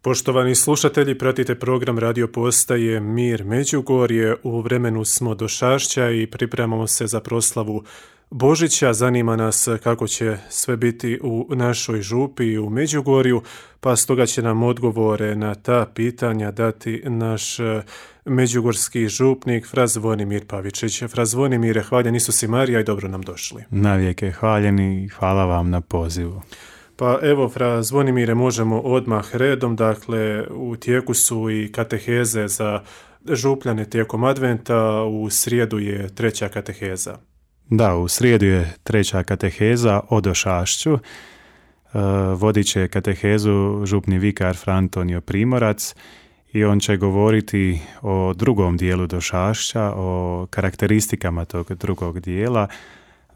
Poštovani slušatelji, pratite program Radio Postaje Mir Međugorje. U vremenu smo do Šašća i pripremamo se za proslavu Božića. Zanima nas kako će sve biti u našoj župi i u Međugorju, pa stoga će nam odgovore na ta pitanja dati naš međugorski župnik Fra Zvonimir Pavičić. Fra Zvonimire, hvaljen Isus i Marija i dobro nam došli. Navijek je hvaljeni i hvala vam na pozivu. Pa evo, Fra Zvonimire, možemo odmah redom. Dakle, u tijeku su i kateheze za župljane tijekom adventa. U srijedu je treća kateheza. Da, u srijedu je treća kateheza o Došašću. Vodit će katehezu župni vikar Fra Antonio Primorac i on će govoriti o drugom dijelu Došašća, o karakteristikama tog drugog dijela.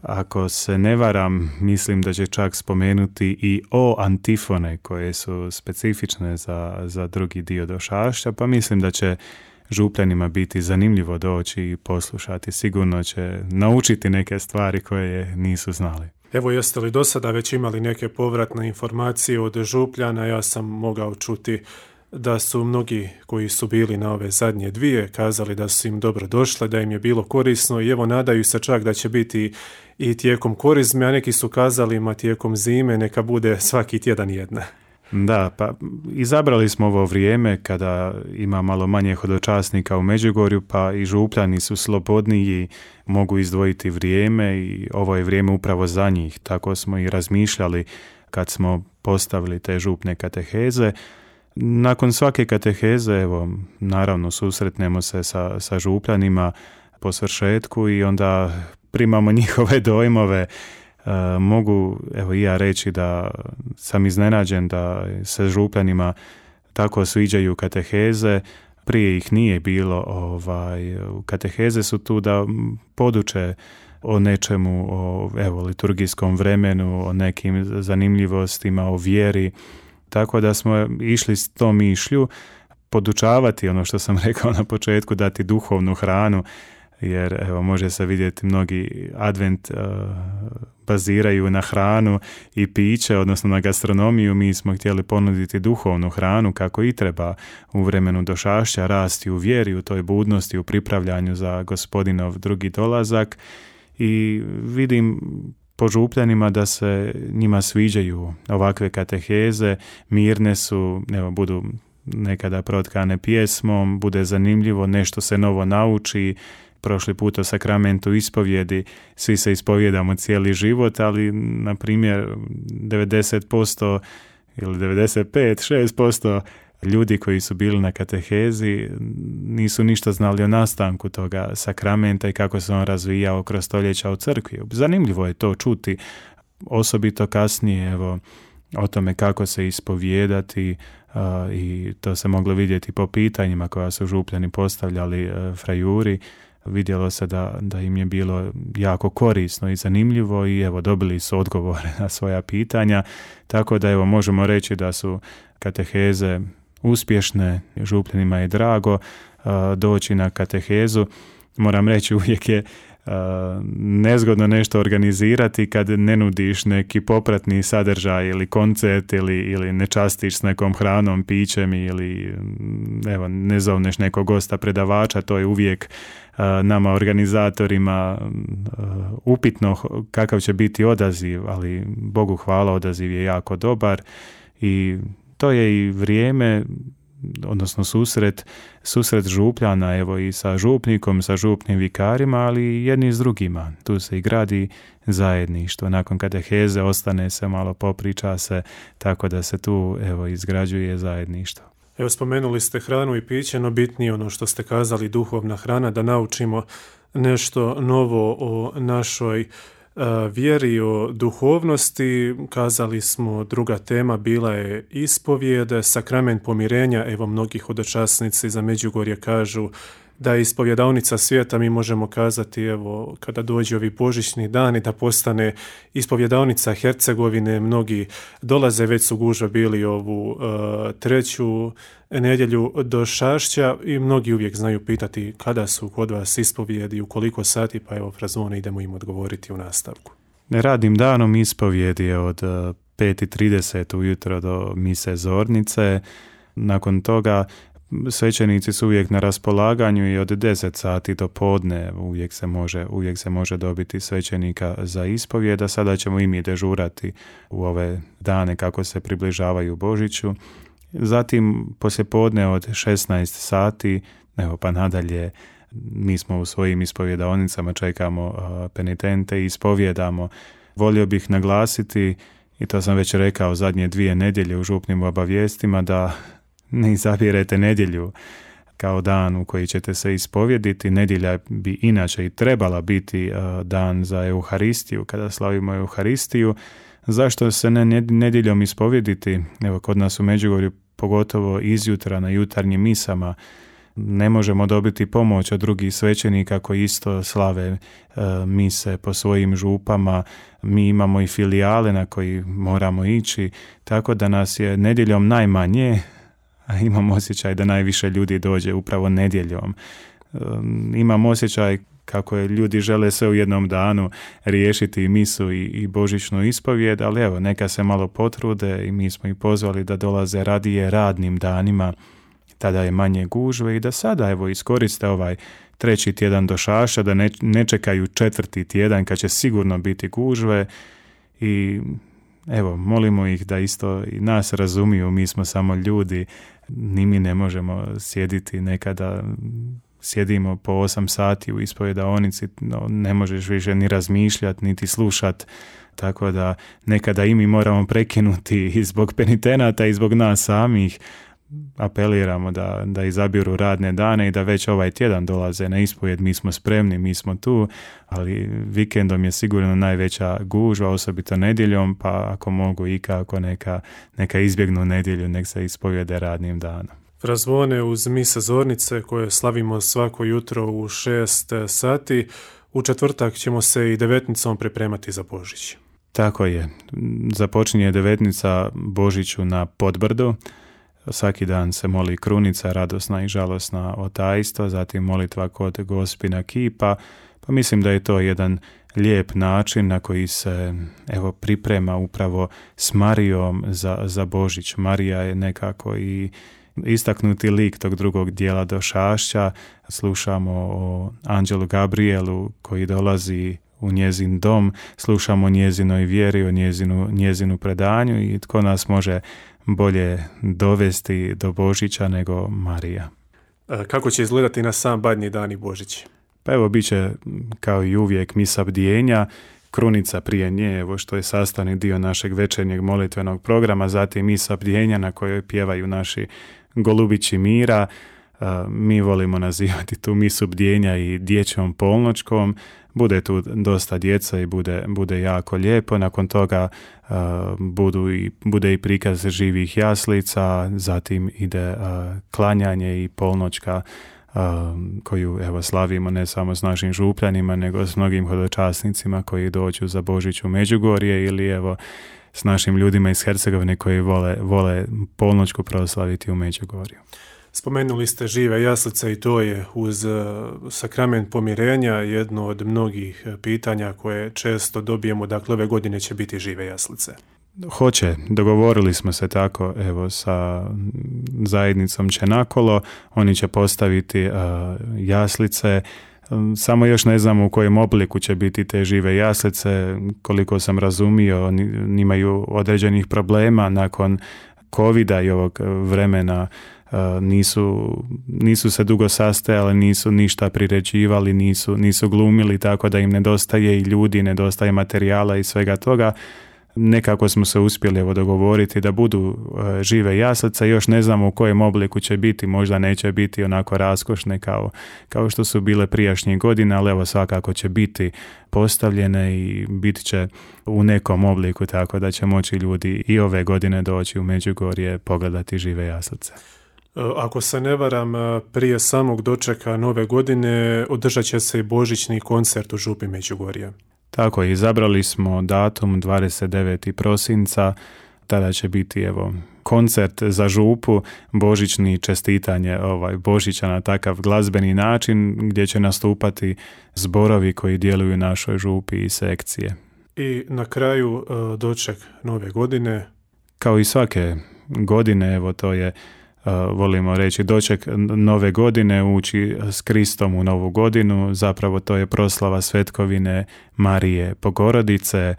Ako se ne varam, mislim da će čak spomenuti i o antifone koje su specifične za drugi dio Došašća, pa mislim da će župljanima biti zanimljivo doći i poslušati. Sigurno će naučiti neke stvari koje nisu znali. Evo, jeste li do sada već imali neke povratne informacije od župljana? Ja sam mogao čuti da su mnogi koji su bili na ove zadnje dvije kazali da su im dobro došle, da im je bilo korisno i evo nadaju se čak da će biti i tijekom korizme, a neki su kazali ma tijekom zime neka bude svaki tjedan jedna. Da, pa izabrali smo ovo vrijeme kada ima malo manje hodočasnika u Međugorju, pa i župljani su slobodniji, mogu izdvojiti vrijeme i ovo je vrijeme upravo za njih. Tako smo i razmišljali kad smo postavili te župne kateheze. Nakon svake kateheze, evo, naravno susretnemo se sa župljanima po svršetku i onda primamo njihove dojmove. Mogu, evo, i ja reći da sam iznenađen da se župljanima tako sviđaju kateheze. Prije ih nije bilo. Kateheze su tu da poduče o nečemu, o liturgijskom vremenu, o nekim zanimljivostima, o vjeri. Tako da smo išli s tom mišlju podučavati ono što sam rekao na početku, dati duhovnu hranu, jer evo može se vidjeti mnogi advent baziraju na hranu i piće, odnosno na gastronomiju. Mi smo htjeli ponuditi duhovnu hranu kako i treba u vremenu Došašća, rasti u vjeri, u toj budnosti, u pripravljanju za Gospodinov drugi dolazak i vidim po župljanima da se njima sviđaju ovakve kateheze, mirne su, evo, budu nekada protkane pjesmom, bude zanimljivo, nešto se novo nauči. Prošli put o sakramentu ispovjedi, svi se ispovjedamo cijeli život, ali na primjer 90% ili 95-6% ljudi koji su bili na katehezi nisu ništa znali o nastanku toga sakramenta i kako se on razvijao kroz stoljeća u crkvi. Zanimljivo je to čuti, osobito kasnije, evo, o tome kako se ispovijedati i to se moglo vidjeti po pitanjima koja su župljani postavljali frajuri. Vidjelo se da im je bilo jako korisno i zanimljivo i evo dobili su odgovore na svoja pitanja, tako da evo možemo reći da su kateheze uspješne, župljanima je drago doći na katehezu. Moram reći, uvijek je nezgodno nešto organizirati kad ne nudiš neki popratni sadržaj ili koncert ili ne častiš s nekom hranom, pićem ili evo, ne zovneš nekog gosta predavača. To je uvijek nama organizatorima upitno kakav će biti odaziv, ali Bogu hvala, odaziv je jako dobar i to je i vrijeme, odnosno susret župljana, evo, i sa župnikom, sa župnim vikarima, ali i jedni s drugima. Tu se i gradi zajedništvo. Nakon kateheze ostane se malo, popriča se, tako da se tu, evo, izgrađuje zajedništvo. Evo, spomenuli ste hranu i piće, no bitnije ono što ste kazali, duhovna hrana, da naučimo nešto novo o našoj vjeri, o duhovnosti. Kazali smo, druga tema bila je ispovijed, sakrament pomirenja. Evo, mnogi hodočasnici za Međugorje kažu da je ispovjedaonica svijeta. Mi možemo kazati, evo, kada dođe ovi božićni dani, da postane ispovjedaonica Hercegovine. Mnogi dolaze, već su gužva bili ovu treću nedjelju Došašća i mnogi uvijek znaju pitati kada su kod vas ispovjedi, u koliko sati, pa evo, Fra Zvone, idemo im odgovoriti u nastavku. Radnim danom ispovjedi je od 5:30 ujutro do mise zornice. Nakon toga svećenici su uvijek na raspolaganju i od 10 sati do podne uvijek se može dobiti svećenika za ispovijed, a sada ćemo i mi dežurati u ove dane kako se približavaju Božiću. Zatim poslijepodne od 16 sati, pa nadalje, mi smo u svojim ispovjedaonicama, čekamo penitente i ispovjedamo. Volio bih naglasiti, i to sam već rekao zadnje 2 nedjelje u župnim obavijestima, da ne izabirete nedjelju kao dan u koji ćete se ispovjediti. Nedjelja bi inače i trebala biti dan za Euharistiju, kada slavimo Euharistiju. Zašto se ne nedjeljom ispovjediti? Evo, kod nas u Međugorju, pogotovo izjutra na jutarnjim misama, ne možemo dobiti pomoć od drugih svećenika koji isto slave mise po svojim župama. Mi imamo i filijale na koji moramo ići, tako da nas je nedjeljom najmanje, a imam osjećaj da najviše ljudi dođe upravo nedjeljom. Imam osjećaj kako ljudi žele sve u jednom danu riješiti i misu i božićnu ispovijed, ali evo, neka se malo potrude i mi smo ih pozvali da dolaze radije radnim danima, tada je manje gužve, i da sada evo iskoriste ovaj 3. tjedan do Šaša, da ne čekaju 4. tjedan kad će sigurno biti gužve, i evo, molimo ih da isto i nas razumiju, mi smo samo ljudi, ni mi ne možemo sjediti, nekada sjedimo po 8 sati u ispovjedaonici, ne možeš više ni razmišljati, niti slušati, tako da nekada i mi moramo prekinuti i zbog penitenata i zbog nas samih. Apeliramo da izabiru radne dane i da već ovaj tjedan dolaze na ispovjed. Mi smo spremni, mi smo tu, ali vikendom je sigurno najveća gužva, osobito nedjeljom, pa ako mogu i kako neka izbjegnu nedjelju, nek se ispovjede radnim danom. Razvone uz mise zornice koje slavimo svako jutro u 6 sati. U četvrtak ćemo se i devetnicom pripremati za Božić. Tako je. Započinje devetnica Božiću na Podbrdu. Svaki dan se moli krunica, radosna i žalosna otajstvo, zatim molitva kod Gospina kipa, pa mislim da je to jedan lijep način na koji se priprema upravo s Marijom za Božić. Marija je nekako i istaknuti lik tog drugog dijela do Šašća. Slušamo o anđelu Gabrielu koji dolazi u njezin dom, slušamo o njezinoj vjeri, o njezinu predanju, i tko nas može bolje dovesti do Božića nego Marija. Kako će izgledati na sam Badnji dan i Božić? Pa evo, bit će kao i uvijek misa bdjenja, krunica prije nje, evo što je sastavni dio našeg večernjeg molitvenog programa, zatim misa bdjenja na kojoj pjevaju naši golubići mira. Mi volimo nazivati tu misu bdjenja i dječjom polnoćkom. Bude tu dosta djeca i bude jako lijepo. Nakon toga bude i prikaz živih jaslica, zatim ide klanjanje i polnoćka koju slavimo ne samo s našim župljanima, nego s mnogim hodočasnicima koji dođu za Božić u Međugorje, ili s našim ljudima iz Hercegovine koji vole polnoćku proslaviti u Međugorju. Spomenuli ste žive jaslice i to je uz sakrament pomirenja jedno od mnogih pitanja koje često dobijemo. Dakle, ove godine će biti žive jaslice. Hoće, dogovorili smo se tako sa zajednicom Čenakolo, oni će postaviti jaslice, samo još ne znamo u kojem obliku će biti te žive jaslice. Koliko sam razumio, oni imaju određenih problema nakon covida i ovog vremena. Nisu se dugo sastajali, nisu ništa priređivali, nisu glumili, tako da im nedostaje i ljudi, nedostaje materijala i svega toga. Nekako smo se uspjeli dogovoriti da budu žive jaslice, još ne znamo u kojem obliku će biti, možda neće biti onako raskošne kao što su bile prijašnjih godina, ali svakako će biti postavljene i bit će u nekom obliku, tako da će moći ljudi i ove godine doći u Međugorje pogledati žive jaslice. Ako se ne varam, prije samog dočeka nove godine održat će se i božićni koncert u župi Međugorje. Tako je, izabrali smo datum 29. prosinca, tada će biti koncert za župu, božićni, čestitanje Božića na takav glazbeni način gdje će nastupati zborovi koji djeluju u našoj župi i sekcije. I na kraju doček nove godine. Kao i svake godine, to je volimo reći, doček nove godine, ući s Kristom u novu godinu. Zapravo to je proslava svetkovine Marije Bogorodice.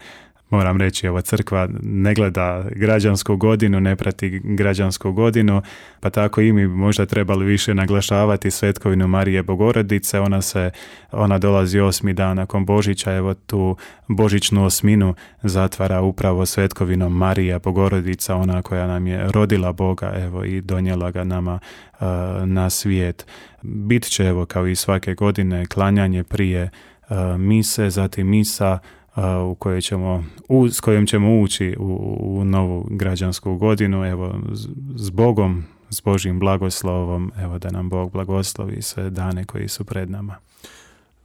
Moram reći, ova crkva ne gleda građansku godinu, ne prati građansku godinu, pa tako i mi možda trebali više naglašavati svetkovinu Marije Bogorodice. Ona dolazi 8. dan nakon Božića, evo tu božićnu osminu zatvara upravo svetkovinom Marija Bogorodica, ona koja nam je rodila Boga, evo, i donijela ga nama na svijet. Bit će, evo, kao i svake godine, klanjanje prije mise, zatim misa s kojom ćemo ući u novu građansku godinu, evo, s Bogom, s Božjim blagoslovom, evo, da nam Bog blagoslovi sve dane koji su pred nama.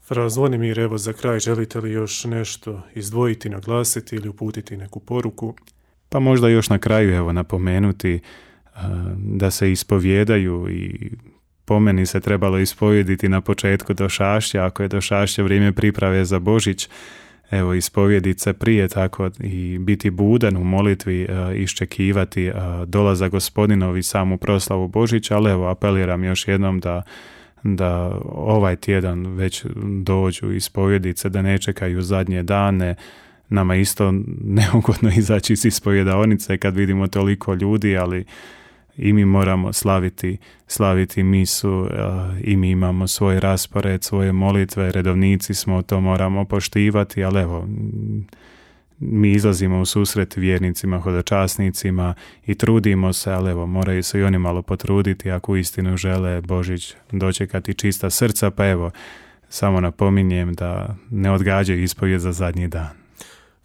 Fra Zvonimir, evo, za kraj, želite li još nešto izdvojiti, naglasiti ili uputiti neku poruku? Pa možda još na kraju, evo, napomenuti da se ispovijedaju, i po meni se trebalo ispovijediti na početku došašća, ako je došašće vrijeme priprave za Božić, evo, ispovjediti se prije, tako i biti budan u molitvi, iščekivati dolazak Gospodinov i samu proslavu Božića, ali evo, apeliram još jednom da ovaj tjedan već dođu ispovjediti se, da ne čekaju zadnje dane. Nama isto neugodno izaći iz ispovjedaonice kad vidimo toliko ljudi, ali i mi moramo slaviti misu, i mi imamo svoj raspored, svoje molitve, redovnici smo, to moramo poštivati, ali evo, mi izlazimo u susret vjernicima, hodočasnicima i trudimo se, ali evo, moraju se i oni malo potruditi ako uistinu žele Božić dočekati čista srca, pa evo, samo napominjem da ne odgađaju ispovijed za zadnji dan.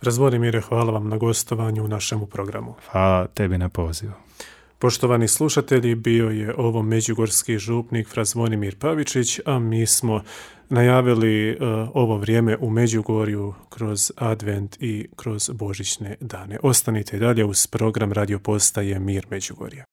Zvonimire, hvala vam na gostovanju u našemu programu. Hvala tebi na pozivu. Poštovani slušatelji, bio je ovo međugorski župnik fra Zvonimir Pavičić, a mi smo najavili ovo vrijeme u Međugorju kroz Advent i kroz Božićne dane. Ostanite dalje uz program radio postaje Mir Međugorja.